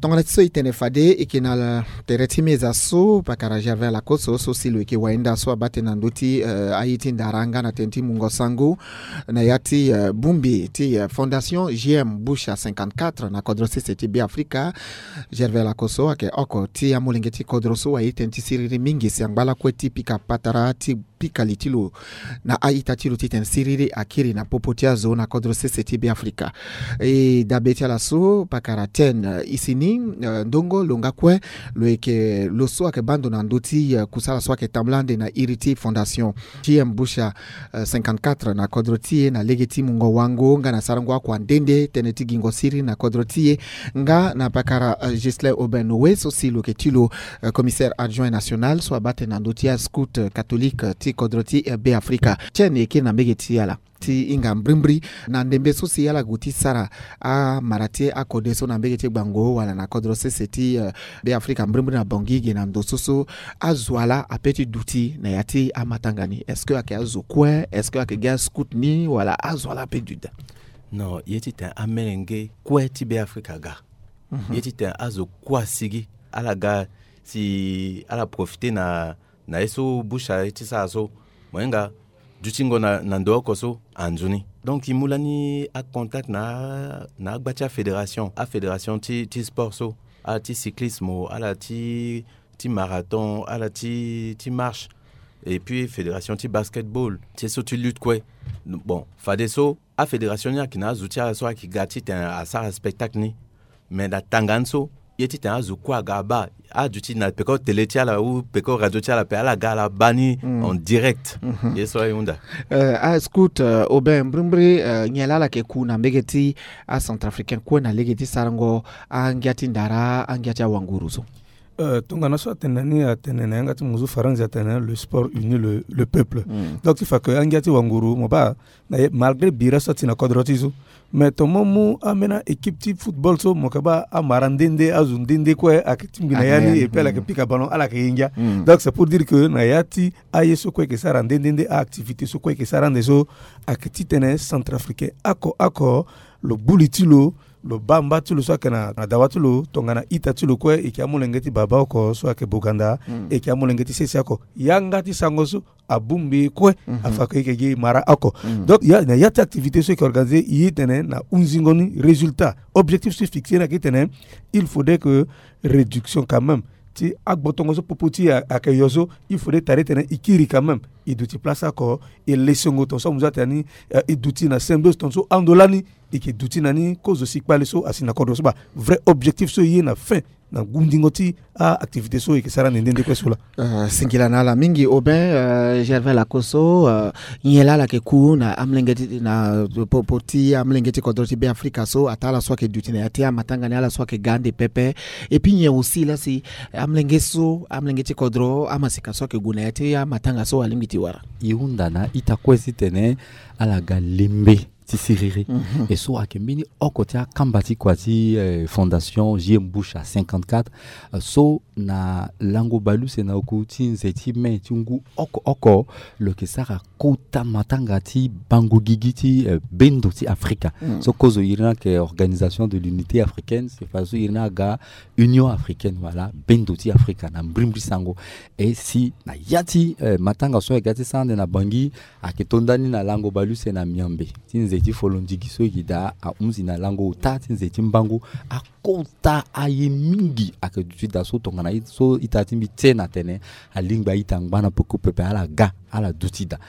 Tongana ti so e tene fade e yeke na tere ti meza so pakara Gervais Lacoste so si lo yeke wainda so abaa tënë na ndö ti, eh, aye ti ndara nga na tënë ti mungo sango na ya ti, eh, bongbi ti, eh, Fondation J M Bush cinquante-quatre na kodro sese ti Beafrika. Gervais Lacoste ayeke oko ti amolenge ti kodro so aye tënë ti siriri mingi si angba lakue ti pika patara ti pika li ti lo na a-ita ti lo titene siriri akiri na popo ti azo na kodro sese ti Beafrika. E dabe ti ala so pakara Ten, eh, Isini, eh, Ndongo lo nga kue lo yeke lo so ayeke baa ndo na ndö ti, eh, kusala so ayeke tambula ande na iri ti Fondation J M Bush, eh, cinquante-quatre na kodro ti e na lege ti mungo wango nga na sarango akua nde nde tënë ti gingo siriri na kodro ti e. Nga na pakara, eh, Ghislain Aubin Noé so si lo yeke ti lo, eh, commissaire adjoint national so abaa tënë na ndö ti ascout, eh, catholique, eh, ti kodro ti, eh, Beafrika. Ten e kiri na mbege ti ala ti hinga mbrimbri na ndembe so si ala gue ti sara amara ti akode so na mbege ti gbango wala na kodro sese ti, eh, Beafrika mbrimbri na Bangui ge na ndo so so azo ala ape ti duti na ya ti amatanga ni. Est-ce que ayeke azo kue? Est-ce que ayeke gi ascout ni wala azo ala ape duti daa? Non, ye titene amelenge kue ti Beafrika aga. Mhm. Ye titene azo kue asigi ala ga si ala profite na Na ye so Bush aye ti sara so, mo hinga dutingo na, na ndo oko so anzoni. Donc e mu lani acontact na, na agba ti afédération, afédération ti, ti sport so, ala ti cyclisme, ala ti, ti marathon, ala ti, ti marche, et puis fédération ti basketball, ti ye so ti lutte kue. Bon, fadeso afédération ni ayeke na azo ti ala so ayeke ga titene asara spectacle ni. Mais na tanga ni so, ye titene azo kue aga abaa, aduti na peko télé ti ala ou peko radio ti ala pe, ala ga ala baa ni en direct. Ye so aye hunda. Euh, ah, Scout, euh, Aubin, mbrimbri, euh, nyen laa ala yeke ku na mbege ti acentrafricain kue na lege ti sarango angia ti ndara, angia ti awanguru so? Euh, tongana so atene na ni, atene na yanga ti mozu faranzi, atene le sport unit le, le peuple. Donc ti fa ke angia ti wanguru mo baa na ye, malgré bira so ati na kodro ti so, mais ton mo mu ambeni équipe ti football so, mo yeke baa amara nde nde, azo nde nde kue ayeke tingbi na ya ni, et puis ala yeke pika ballon, ala yeke ye ngia. Donc c'est pour dire que na ya ti aye so kue ayeke sara nde nde nde, aactivité so kue ayeke sara ande so, ayeke titene centrafricain oko oko, lo gbu li ti lo, lo baa mba ti lo so ayeke na, na dawa ti lo, tongana ita ti lo kue, e yeke amolenge ti baba oko so ayeke boganda, e yeke amolenge ti sese oko. Yanga ti sango so abongbi kue, afa ke e yeke gi mara oko. Donc ya, na ya ti activité so e yeke organisé, e ye tene na hunzingo ni résultat, objectif so e fixé ni ayeke tene, il faudrait que réduction quand même ti agbotongo so popo ti e ayeke yo so, il faudrait tare tene e kiri quand même, e duti place oko, e lesongo ton so amu so atene ni, euh, e duti na symbiose ton so ando lani, e yeke duti na ni kozo si kpale so asi na kodro so. Baa vrai objectif so e ye na fin na gundingo ti aactivité so e yeke sara nde nde nde kue so laa. Euh, singila na ala mingi Aubin, euh, Gervais Lakosso, euh, nyen laa ala yeke ku na amolenge ti, na popo ti amolenge ti kodro ti Beafrika so, ataa ala so ayeke duti na ya ti amatanga ni, ala so ayeke ga ande pepe. Et puis nyen aussi laa si amolenge so, amolenge ti kodro, amaseka so ayeke gue na ya ti amatanga so alingbi ti wara? E hunda na ita kue titene ala ga lembe ti siriri. E so ayeke mbeni oko ti akamba ti kua ti, eh, fondation J M Bush à cinquante-quatre, eh, so na lango baleuse na oku ti nze ti mai ti ngu oko oko, lo yeke sara kota matanga ti bango gigi ti, eh, bendo ti Afrika. So kozo iri ni ayeke Organisation de l'Unité Africaine, c'est fadeso iri ni aga Union Africaine, voilà, bendo ti Afrika na mbrimbri sango. E si na ya ti, eh, matanga so ayeke ga ti sara ande na Bangui, ayeke to ndani na lango baleuse na Miambe ti nze ti folondigi so e yeke daa ahunzi na lango ota ti nze ti mbangu. Akota aye mingi ayeke duti daa so tongana so ita ti mbi ti e na tene alingbi a-ita angba na peko pepe, ala ga, ala duti daa.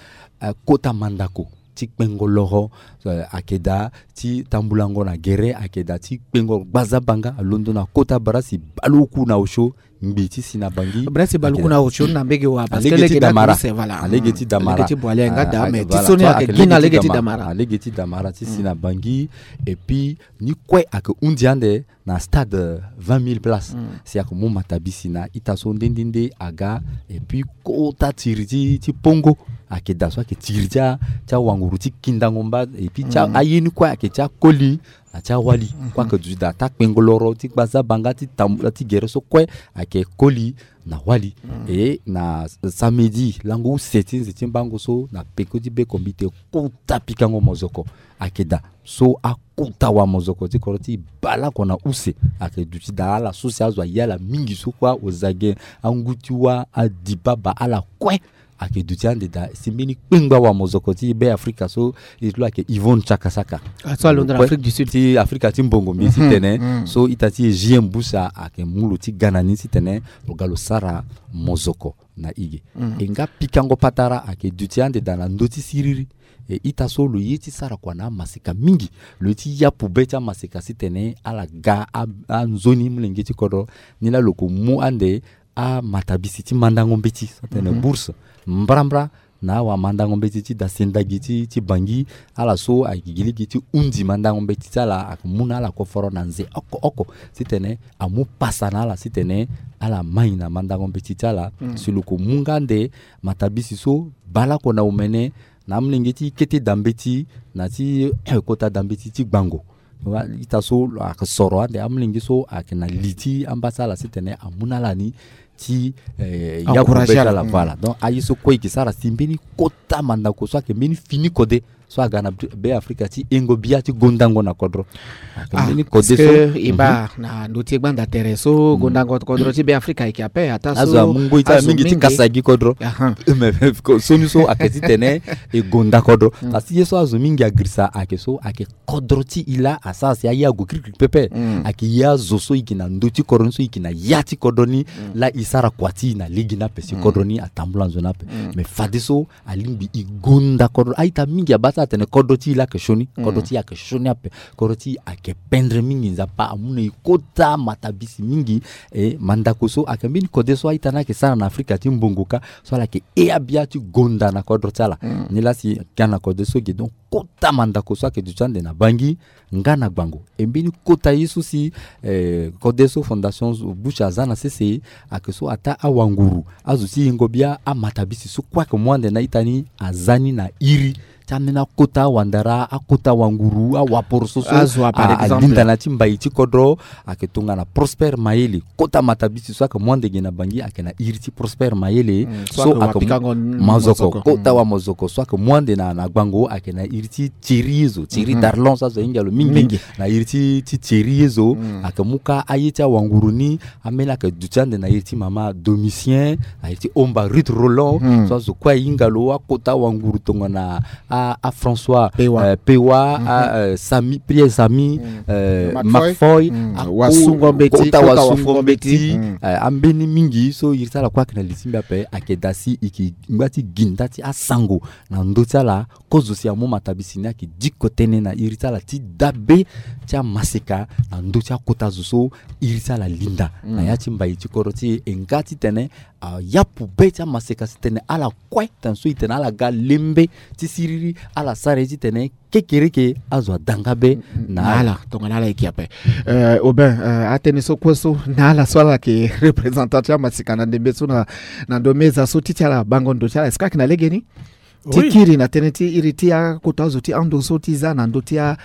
Eh, kota mandako ti kpengo loro, eh, ayeke daa, ti tambulango na gere ayeke daa, ti kpengo gbazabanga alondo na kota bras ti baleoku na osio, ngbi ti si na Bangui. Bras ti baleoku na osio na mbege wa, parce que lege ti damara. Voilà. Alege ti damara. Alege ti bwale nga daa, mais ti so ni ayeke gi na lege ti damara. Alege ti damara ti si na Bangui. Et puis ni kue ayeke hundi ande na stade, euh, vingt mille places. Si ayeke mu matabisi na ita so nde nde nde aga. Et puis kota tiri ti, ti pongo ayeke daa so ayeke tiri ti a, ti awanguru ti kindango mba. Et puis ti a, aye ni kue ayeke ti akoli na ti awali. Kue ayeke duti daa, taa kpengo loro ti gbazabanga ti tambula ti gere so kue ayeke koli na wali. Et na samedi lango use ti nze ti mbango so na peko ti be kombite, kota pikango mozoko ayeke daa. So akota wamozoko ti kodro ti e baleoko na use ayeke duti daa. Ala so si azo aye ala mingi so kue, ozage, angu ti wâ, adibaba, ala kue ayeke duti ande daa. Si mbeni kpengba wamozoko ti Beafrika so e ti lo ayeke Yvonne Chakasaka. Ah, so alondo na Afrique du Sud. Ti Afrika ti mbongo mbi titene. So ita ti e J M Bush ayeke mu lo ti ga na ni titene lo ga lo sara mozoko na e ge. E nga pikango patara ayeke duti ande daa na ndö ti siriri. E ita so lo ye ti sara kua na amaseka mingi. Lo ye ti yapu be ti amaseka titene ala ga a, anzoni molenge ti kodro. Ni laa lo yeke mu ande amatabisi ti mandango mbeti so atene bourse mbrambra na awamandango mbeti ti dasendagi ti, ti Bangui. Ala so ayeke gi lege ti hundi mandango mbeti ti ala, ayeke mu na ala koforo na nze oko oko titene amu pasa na ala titene ala mai na mandango mbeti ti ala. Si lo yeke mu nga ande matabisi so baleoko na omene, na amolenge ti kete dambeti na ti kota dambeti ti gbango. Wa, ita so lo ayeke soro ande amolenge so ayeke na li ti amba ti ala titene amu na ala ni ti, eh, yaku be ti ala. Voilà. Donc aye so kue e yeke sara si mbeni kota mandako so ayeke mbeni fini kode so aga na Be Afrika ti hingo bia ti gondango na kodro. Ah, mbeni kode so e baa na ndö ti e gbanda tere so gondango kodro ti Be Afrika ayeke ape, ataa so azo amu ngoi ti ala mingi ti kasa gi kodro. Aha. Mais soni so ayeke titene e gonda kodro. Parce que ye so azo mingi agirisa ayeke so ayeke kodro ti e laa asara si aye ague kirikiri pepe. Ayeke ye azo so e yeke na ndö ti kodro ni, so e yeke na ya ti kodro ni, laa e sara kua ti e na lege ni ape si kodro ni atambula nzoni ape. Mais fadeso alingbi e gonda kodro. A-ita mingi abaa ti atene kodro ti e laa ayeke sioni. Kodro ti e ayeke sioni ape. Kodro ti e ayeke pendre mingi. Nzapa amu na e kota matabisi mingi. E mandako so ayeke mbeni kode so a-ita ni ayeke sara na Afrika ti mbongo kâ, so ala yeke hee abia ti gonda na kodro ti ala. Nilaa si aga na kode so e yeke donc kota mandako so ayeke duti ande na Bangui nga na Gbango. E mbeni kota ye so si, eh, kode so Fondation Bush aza na sese, ayeke so ataa awanguru, azo ti hingo bia, amatabisi so kue ayeke mu ande na a-ita ni aza ni na iri ti ambeni akota awandara, akota awanguru, awaporoso so alinda na ya ti mbai ti kodro. Ayeke tongana Prosper Mayele, kota matabisi so ayeke mu ande ge na Bangui ayeke na iri ti Prosper Mayele. So ayeke mazoko, kota wa mazoko so ayeke mu ande na, na Gbango ayeke na iri ti Thierry ye zo, Thierry Darlon so azo ahinga lo mingi. Na iri ti, ti Thierry ye zo. Ayeke mu kâ aye ti awanguru ni, ambeni ayeke duti ande na iri ti mama Domitien, na iri ti Omba Ruth Roland. So azo kue ahinga lo, akota awanguru tongana a, a François Pewa, eh, Pewa, a, eh, Sami, Pierre Sami, eh, Marc Foy, Marc Foy, a, Wasungo Mbeti, kota Wasungo Mbeti, eh, ambeni mingi so iri ti ala kue ayeke na li ti mbi ape, ayeke daa si e yeke ngba ti gi nda ti asango na ndö ti ala. Kozo si amu matabisi ni ayeke diko tënë na iri ti ala ti dabe ti amaseka na ndö ti akota zo so iri ti ala linda na ya ti mbai ti kodro ti e. E nga titene ayapu be ti amaseka si tene ala kue tene so e tene ala ga lembe ti siriri, ala sara ye titene kekereke azo ada nga be na ala. Tongana ala yeke ape. Eh, Aubin, eh, atënë so kue so na ala so ala yeke représentant ti amaseka na ndembe so na, na ndo meza so ti ti ala bango ndo ti ala, est-ce que ayeke na legeni? Ti kiri na tënë ti iri ti akota azo ti ando so ti za na ndö ti a,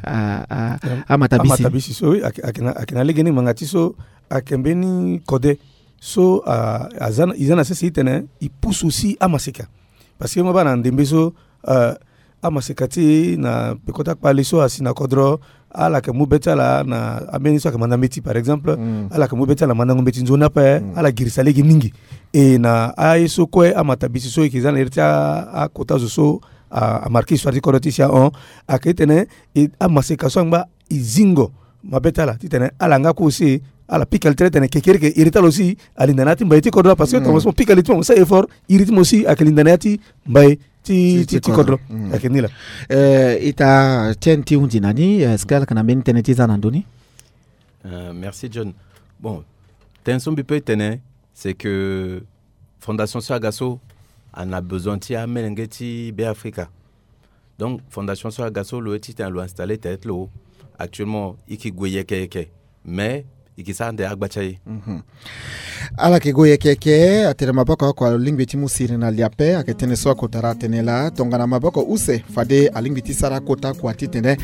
a, a, amatabisi. Amatabisi so, oui, ayeke, ayeke na, ayeke na legeni ngbanga ti so ayeke mbeni kode so, a, aza na, e za na sese titene e pusu aussi amaseka. Parce que mo baa na ndembe so, euh, amaseka ti e na peko ti akpale so asi na kodro, ala yeke mu be ti ala na ambeni so ayeke manda mbeti, par exemple. Ala yeke mu be ti ala na mandango mbeti nzoni ape. Ala girisa lege mingi. E na aye so kue amatabisi so e yeke za na iri ti a, akota zo so a, amarke histoire ti kodro ti e si ahon, ayeke titene e, amaseka so angba e zingo mabe ti ala titene ala nga kue aussi ala pika li tere titene kekereke iri ti ala aussi alinda na ya ti mbai ti kodro. Parce que tongaso mo pika li ti mo, mo sara effort, iri ti mo aussi ayeke linda na ya ti mbai ti, ti, ti kodro. Ayeke ni laa. Eh, ita ti e ti hundi na ni, est-ce que ala yeke na mbeni tënë ti za na ndö ni? Euh, merci John. Bon, tënë so mbi peut tene, c'est que fondation so aga so ana besoin ti amelenge ti Be Afrika. Donc fondation so aga so lo ye titene lo installer tere ti lo. Actuellement e yeke gue yeke yeke, mais e yeke sara ande agba ti aye. Ala yeke gue yeke yeke, atene maboko oko alingbi ti mu siri na li ape. Ayeke tënë so akotara atene laa tongana maboko use, fade alingbi ti sara akota kua titene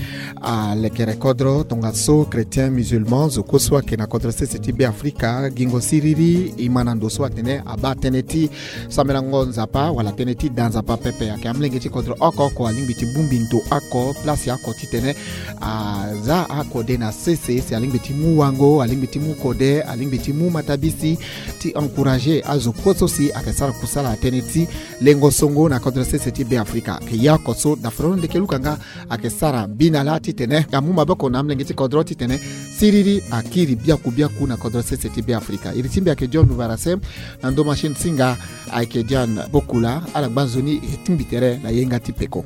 alekere kodro. Tongaso chrétien musulman, zo kue so ayeke na kodro sese ti Be Afrika, gingo siriri e ma na ndo so atene abaa tënë ti sambelango Nzapa wala tënë ti da Nzapa pepe. Ayeke amolenge ti kodro oko oko alingbi ti bongbi ndo oko, place oko titene aza akode na sese, si alingbi ti mu wango, alingbi ti mu kode, alingbi ti mu matabisi, ti encourager azo kue so si ayeke sara kusala na tënë ti lengo songo na kodro sese ti Be Afrika. Ayeke ya oko so dafro ndeke luka nga ayeke sara bina laa titene amu maboko na amolenge ti kodro titene siriri akiri biaku biaku na kodro sese ti Be Afrika. Iri ti mbi ayeke John Lubarase, na ndo machine singa ayeke John Bokula. Ala gba nzoni e tingbi tere na yenga ti peko.